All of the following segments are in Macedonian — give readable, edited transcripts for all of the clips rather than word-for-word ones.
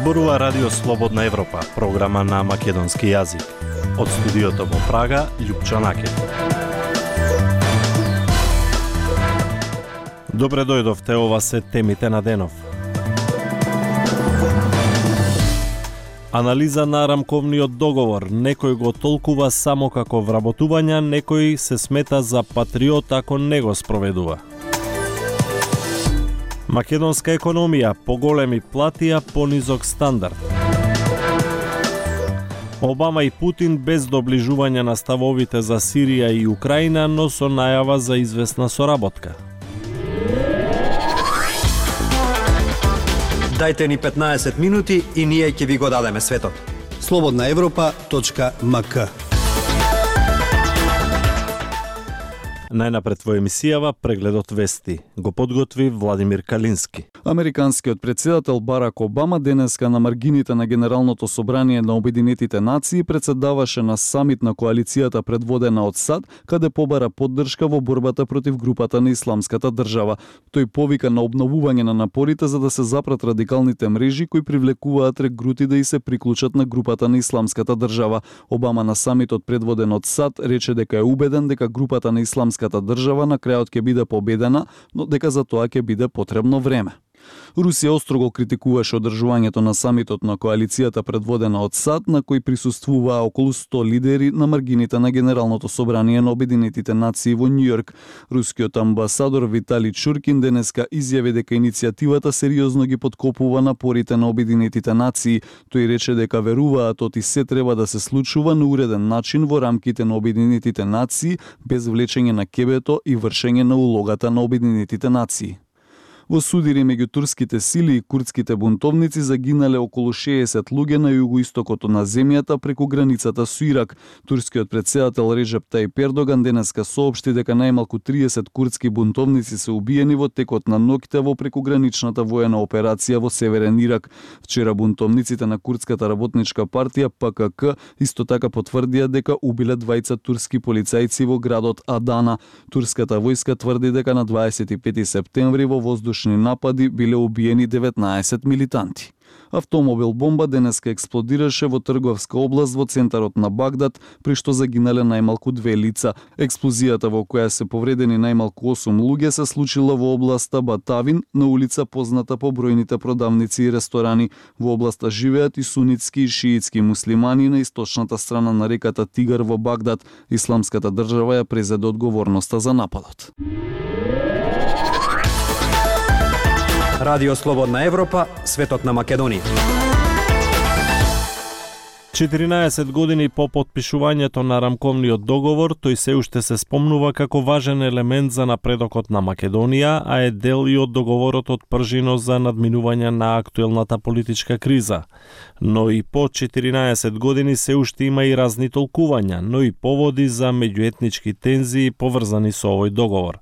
Зборува Радио Слободна Европа, програма на македонски јазик. Од студиото во Прага, Љупчо Накев. Добре дојдовте, ова се темите на денов. Анализа на рамковниот договор. Некој го толкува само како вработување, некој се смета за патриот ако не го спроведува. Македонска економија, поголеми плати, а понизок стандард. Обама и Путин без доближување на ставовите за Сирија и Украина, но со најава за известна соработка. Дајте ни 15 минути и ние ќе ви го дадеме светот. slobodnaevropa.mk. Најнапред во емисијава прегледот вести. Го подготви Владимир Калински. Американскиот претседател Барак Обама денеска на маргините на Генералното собрание на Обединетите нации председаваше на самит на коалицијата предводена од САД, каде побара поддршка во борбата против групата на Исламската држава. Тој повика на обновување на напорите за да се запрат радикалните мрежи кои привлекуваат регрути да и се приклучат на групата на Исламската држава. Обама на самитот предводен од САД рече дека е убеден дека групата на Исламската држава на крајот ќе биде победена, но дека за тоа ќе биде потребно време. Русија острого критикуваше одржувањето на самитот на коалицијата предводена од САД, на кој присуствуваа околу 100 лидери на маргините на Генералното собрание на Обединетите нации во Њујорк. Рускиот амбасадор Витали Чуркин денеска изјави дека иницијативата сериозно ги подкопува напорите на Обединетите нации. Тој рече дека веруваат оти се треба да се случува на уреден начин во рамките на Обединетите нации, без влечење на кебето и вршење на улогата на Обединетите нации. Во судири меѓу турските сили и курдските бунтовници загинале околу 60 луѓе на југоистокот на земјата преку границата со Ирак. Турскиот претседател Реджеп Тајип Ердоган денеска соопшти дека најмалку 30 курдски бунтовници се убиени во текот на ноќта во прекуграничната воена операција во северен Ирак. Вчера бунтовниците на Курдската работничка партија ПКК исто така потврдија дека убиле двајца турски полицајци во градот Адана. Турската војска тврди дека на 25 септември во воздушни напади биле убиени 19 милитанти. Автомобил бомба денеска експлодираше во трговска област во центарот на Багдад, при што загинале најмалку 2 лица. Експлозијата во која се повредени најмалку 8 луѓе се случила во областа Батавин, на улица позната по бројните продавници и ресторани. Во областа живеат и сунитски и шиитски муслимани на источната страна на реката Тигар во Багдад. Исламската држава ја презеде одговорноста за нападот. Радио Слободна Европа, светот на Македонија. 14 години по потпишувањето на рамковниот договор, тој се уште се спомнува како важен елемент за напредокот на Македонија, а е дел и од договорот од пржино за надминување на актуелната политичка криза. Но и по 14 години се уште има и разни толкувања, но и поводи за меѓуетнички тензии поврзани со овој договор.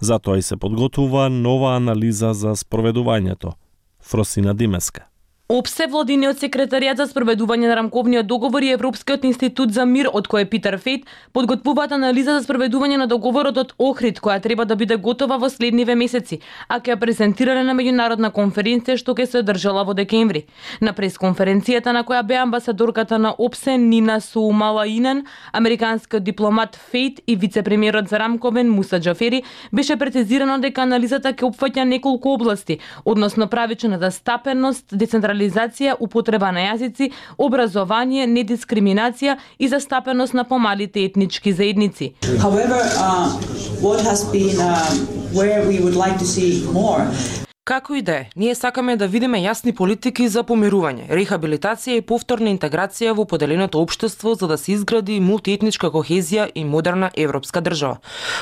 Затоа и се подготвува нова анализа за спроведувањето. Фросина Димеска. ОПСЕ, владиниот секретаријат за спроведување на рамковниот договор и Европскиот институт за мир, од кој Питер Фейт, подготвуваат анализа за спроведување на договорот од Охрид, која треба да биде готова во следниве месеци, а ќе ја презентирале на меѓународна конференција што ќе се одржала во декември. На пресконференцијата на која беа амбасадорката на ОПСЕ Нина Суумалаинен, американскиот дипломат Фейт и вице-премиерот за рамковен Муса Џафери, беше прецизирано дека анализата ќе опфаќа неколку области, односно правичната стапеност, децентрализација, употреба на јазици, образование, недискриминација и застапеност на помалите етнички заедници. However, what has been where we would like to see more. Како и да е, ние сакаме да видиме јасни политики за помирување, рехабилитација и повторна интеграција во поделеното општество за да се изгради мултиетничка кохезија и модерна европска држава.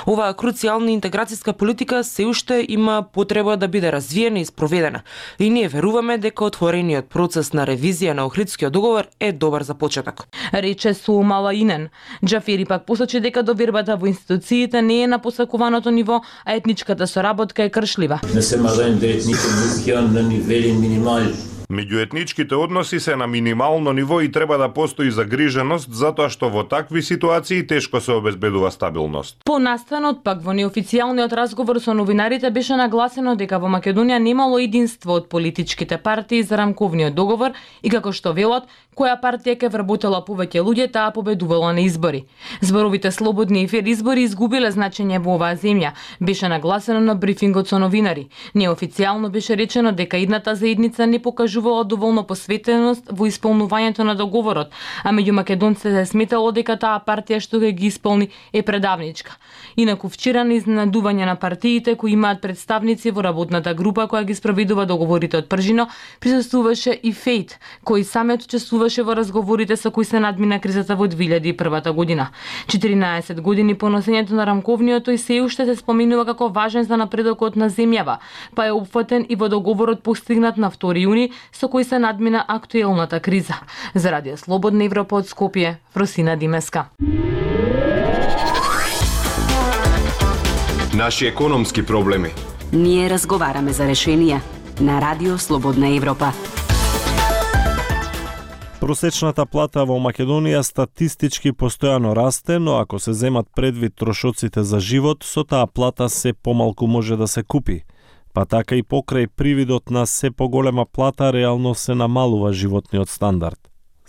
Оваа круцијална интеграцијска политика се уште има потреба да биде развиена и спроведена. И ние веруваме дека отворениот процес на ревизија на Охридскиот договор е добар за почеток. Рече Суумалаинен. Џафери пак посочи дека довербата во институциите не е на посакуваното ниво, а етничката соработка е кршлива. Не се можем никој мусија на нивели минимали. Меѓуетничките односи се на минимално ниво и треба да постои загриженост затоа што во такви ситуации тешко се обезбедува стабилност. По настанот пак во неофицијалниот разговор со новинарите беше нагласено дека во Македонија немало единство од политичките партии за рамковниот договор и како што велат, која партија ќе вработела повеќе луѓе, таа победувала на избори. Зборовите слободни и фер избори изгубиле значење во оваа земја, беше нагласено на брифингот со новинари. Неофицијално беше речено дека идната заедница не покажувала доволно посветеност во исполнувањето на договорот, а меѓу македонците се сметало дека таа партија што ги исполни е предавничка. Инаку вчера на изненадување на партиите кои имаат представници во работната група која ги спроведува договорите од Пржино, присуствуваше и Фейт, кој самиот учествуваше во разговорите со кои се надмина кризата во 2001 година. 14 години по носењето на рамковниот тој се уште се споменува како важен за напредокот на земјава, па е опфатен и во договорот постигнат на 2 јуни со кој се надмина актуелната криза. За Радио Слободна Европа од Скопје, Фросина Димеска. Наши економски проблеми. Ние разговараме за решенија на Радио Слободна Европа. Просечната плата во Македонија статистички постојано расте, но ако се земат предвид трошоците за живот, со таа плата се помалку може да се купи. Па така и покрај привидот на се поголема плата, реално се намалува животниот стандард.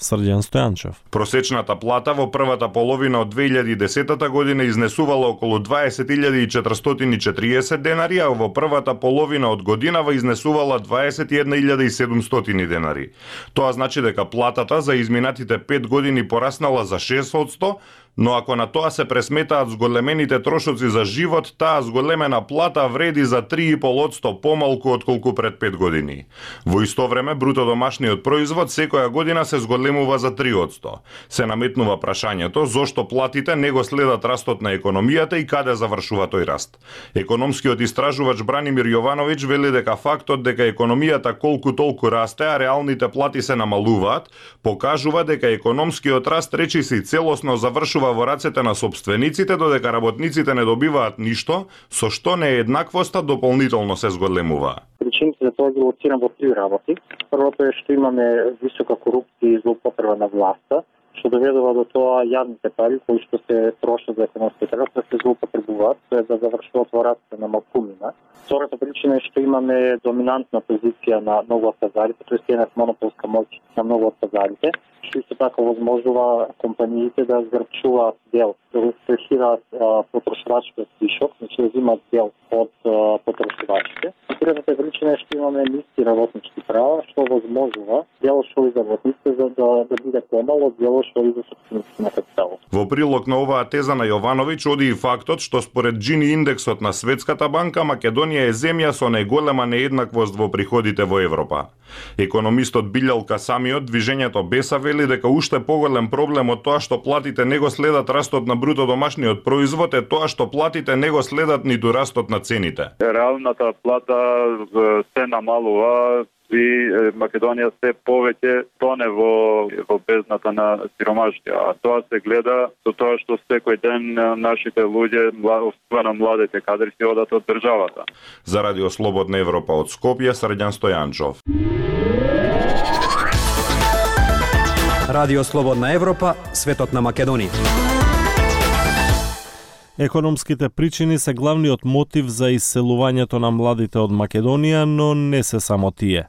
Срđan Стојанчев. Просечната плата во првата половина од 2010 година изнесувала околу 20.440 денари, а во првата половина од годинава изнесувала 21.700 денари. Тоа значи дека платата за изминатите 5 години пораснала за 6%, но ако на тоа се пресметаат зголемените трошоци за живот, таа зголемена плата вреди за 3,5% помалку отколку пред 5 години. Во исто време, бруто домашниот производ секоја година се зголемува за 3%. Се наметнува прашањето зошто платите не го следат растот на економијата и каде завршува тој раст. Економскиот истражувач Бранимир Јовановиќ вели дека фактот дека економијата колку толку расте, а реалните плати се намалуваат, покажува дека економскиот раст речиси целосно завршува во рацете на собствениците, додека работниците не добиваат ништо, со што нееднаквоста дополнително се зголемува. Причините за тоа ги лоцирам во 3 работи. Првото е што имаме висока корупција и злоупотреба на власта, што доведува до тоа јавните пари кои што се трошат за економскиот раст да се злоупотребуваат, тоа е да завршуваат во рацете на малкумина. Втората причина е што имаме доминантна позиција на многу од пазарите, тоест една монополска моќ на многу од пазарите, што исто така возможува компаниите да згрчуваат дел, да рестресираат потрошувачкиот вишок, значи да земат дел од потрошувачите. Третата причина е што имаме ниски работнички права, што возможува дел што и за работниците за да биде помало, дел што и за собствениците на капиталот. Во прилог на оваа теза на Јовановиќ оди и фактот што според Джини индексот на Светската банка, Македонија е земја со најголема нееднаквост во приходите во Европа. Економистот Билјалка самиот движењето Беса вели дека уште поголем проблем од тоа што платите не го следат растот на бруто домашниот производ е тоа што платите не го следат ниту растот на цените. Реалната плата се намалува и Македонија се повеќе тоне во бездната на сиромаштија. А тоа се гледа со тоа што секој ден нашите луѓе, особено младите кадри, си одат од државата. За Радио Слободна Европа од Скопје, Срđan Стојанчов. Радио Слободна Европа, светот на Македонија. Економските причини се главниот мотив за иселувањето на младите од Македонија, но не се само тие.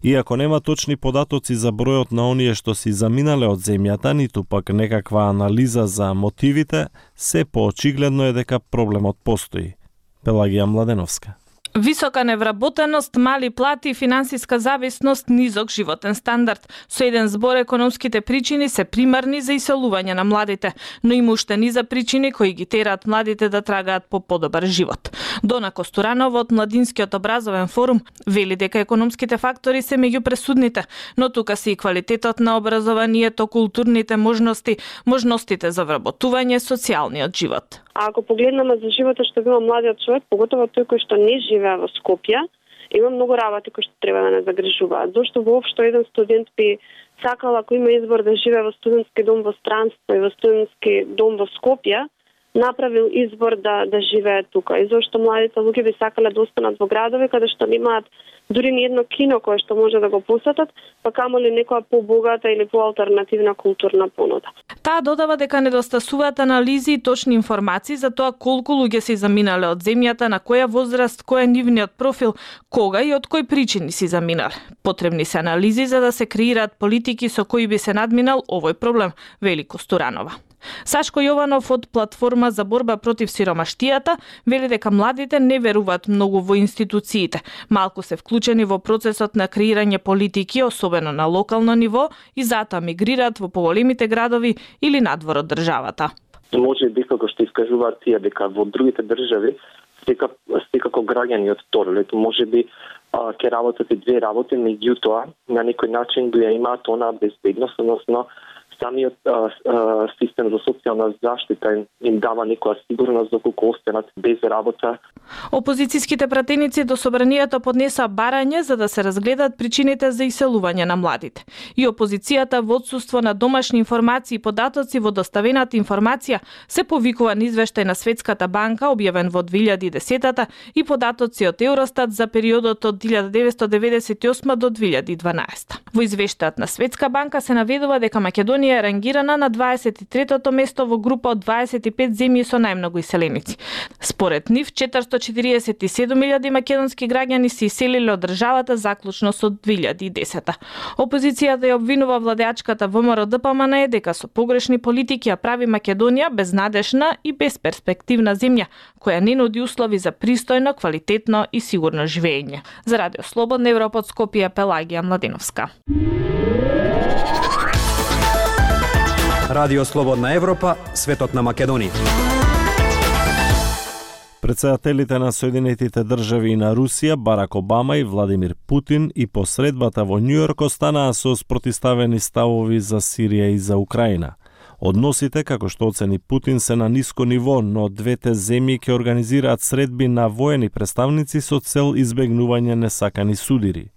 Иако нема точни податоци за бројот на оние што си заминале од земјата, ниту пак некаква анализа за мотивите, се поочигледно е дека проблемот постои. Пелагија Младеновска. Висока невработеност, мали плати, финансиска зависност, низок животен стандард. Со еден збор економските причини се примарни за иселување на младите, но има уште низа причини кои ги тераат младите да трагаат по подобар живот. Дона Костуранова од Младинскиот образовен форум вели дека економските фактори се меѓу пресудните, но тука се и квалитетот на образованието, културните можности, можностите за вработување, социјалниот живот. А ако погледнеме за животот што има младиот човек, поготово тој кој што не живее во Скопје, има многу работи кои што треба да не загрижуваат. Зошто воопшто еден студент би сакал, ако има избор да живее во студентски дом во странство и во студентски дом во Скопје, направил избор да живеат тука. И зашто младите луѓе би сакале да останат во градови каде што немаат дури ни едно кино кое што може да го посетат, па камоли некоја побогата или поалтернативна културна понуда. Таа додава дека недостасуваат анализи и точни информации за тоа колку луѓе се заминале од земјата, на која возраст, кој е нивниот профил, кога и од кои причини се заминале. Потребни се анализи за да се креираат политики со кои би се надминал овој проблем, вели Костуранова. Сашко Јованов од Платформа за борба против сиромаштијата вели дека младите не веруваат многу во институциите, малку се вклучени во процесот на креирање политики, особено на локално ниво, и затоа мигрираат во поголемите градови или надвор од државата. Може би како што искажуваат тие дека во другите држави секако граѓани од второлето, може би ќе работат и две работи, меѓутоа на некој начин го имаат онаа безбедност, односно самиот систем за социјална заштита им дава некоја сигурност доколку останат без работа. Опозицијските пратеници до собранието поднесаа барање за да се разгледат причините за иселување на младите. И опозицијата во отсуство на домашни информации и податоци во доставената информација се повикува на извештај на Светската банка објавен во 2010-та и податоци од Евростат за периодот од 1998 до 2012. Во извештајот на Светска банка се наведува дека Македонија е рангирана на 23-то место во група од 25 земји со најмногу иселеници. Според нив, 447.000 македонски граѓани се иселиле од државата заклучно со 2010-та. Опозицијата ја обвинува владеачката ВМРО ДПМН дека со погрешни политики ја прави Македонија безнадежна и безперспективна земја, која не нуди услови за пристојно, квалитетно и сигурно живење. За Радио Слободна Европа од Скопје, Пелагија Младиновска. Радио Слободна Европа, светот на Македонија. Председателите на Соединетите држави и на Русија, Барак Обама и Владимир Путин, и посредбата во Њујорк останаа со спротивставени ставови за Сирија и за Украина. Односите, како што оцени Путин, се на ниско ниво, но двете земји ќе организираат средби на воени представници со цел избегнување несакани судири.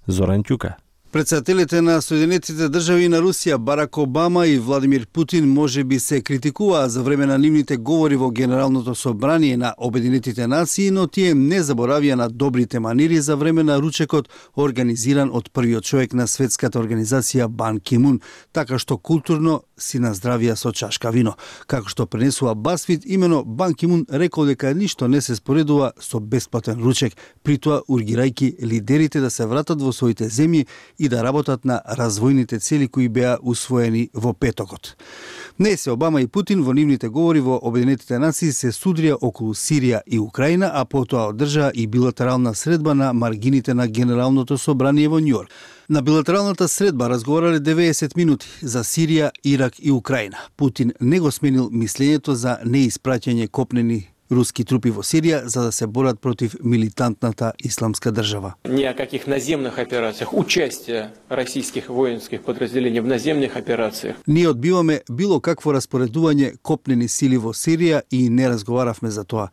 Зоран Ќука. Председателите на Соединетите држави на Русија, Барак Обама и Владимир Путин, може би се критикуваа за време на нивните говори во Генералното собрание на Обединетите нации, но тие не заборавија на добрите манири за време на ручекот организиран од првиот човек на светската организација Бан Ки Мун, така што културно си наздравија со чашка вино. Како што пренесува Басфит, имено Бан Ки Мун рекол дека ништо не се споредува со бесплатен ручек, притоа ургирајќи лидерите да се вратат во своите земји и да работат на развојните цели кои беа усвоени во петокот. Днес Обама и Путин во нивните говори во Обединетите нации се судрија околу Сирија и Украина, а потоа одржаа и билатерална средба на маргините на Генералното собрание во Њујорк. На билатералната средба разговарале 90 минути за Сирија, Ирак и Украина. Путин не го сменил мислењето за неиспраќање копнени руски трупи во Сирија за да се борат против милитантната исламска држава. Ни о каких наземных операциях, участие российских воинских подразделений в наземных операциях. Ние одбиваме било какво распоредување копнени сили во Сирија и не разговаравме за тоа.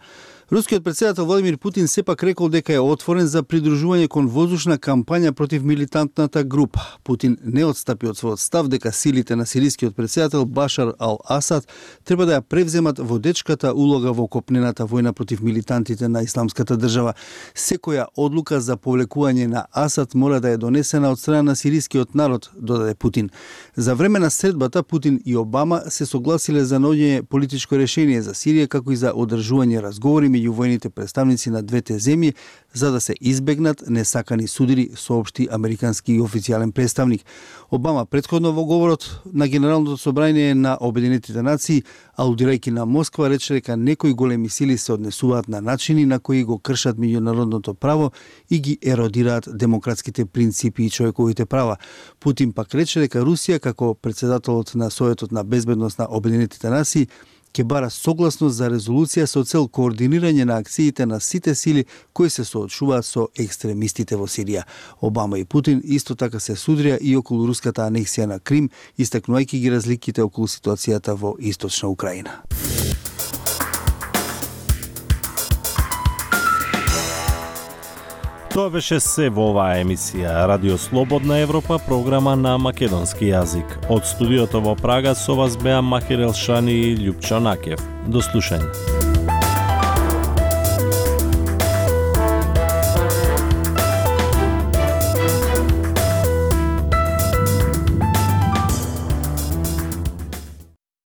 Рускиот председател Владимир Путин сепак рекол дека е отворен за придружување кон воздушна кампања против милитантната група. Путин не отстапи од својот став дека силите на сирискиот председател Башар ал-Асад треба да ја превземат водечката улога во копнената војна против милитантите на исламската држава. Секоја одлука за повлекување на Асад мора да е донесена од страна на сирискиот народ, додаде Путин. За време на средбата Путин и Обама се согласиле за наоѓање политичко решение за Сирија, како и за одржување разговори меѓу војните представници на двете земји за да се избегнат несакани судири, соопшти американски и официјален представник. Обама претходно во говорот на Генералното собрание на Обединетите нации, алудирајќи на Москва, рече дека некои големи сили се однесуваат на начини на кои го кршат меѓународното право и ги еродираат демократските принципи и човековите права. Путин пак рече дека Русија, како председателот на Советот на безбедност на Обединетите нации, ќе бара согласност за резолуција со цел координирање на акциите на сите сили кои се соочуваат со екстремистите во Сирија. Обама и Путин исто така се судрија и околу руската анексија на Крим, истакнувајќи ги разликите околу ситуацијата во источна Украина. Тоа беше се во оваа емисија Радио Слободна Европа, програма на македонски јазик. Од студиото во Прага со вас беа Махир Елшани и Љупчо Накев. До слушање.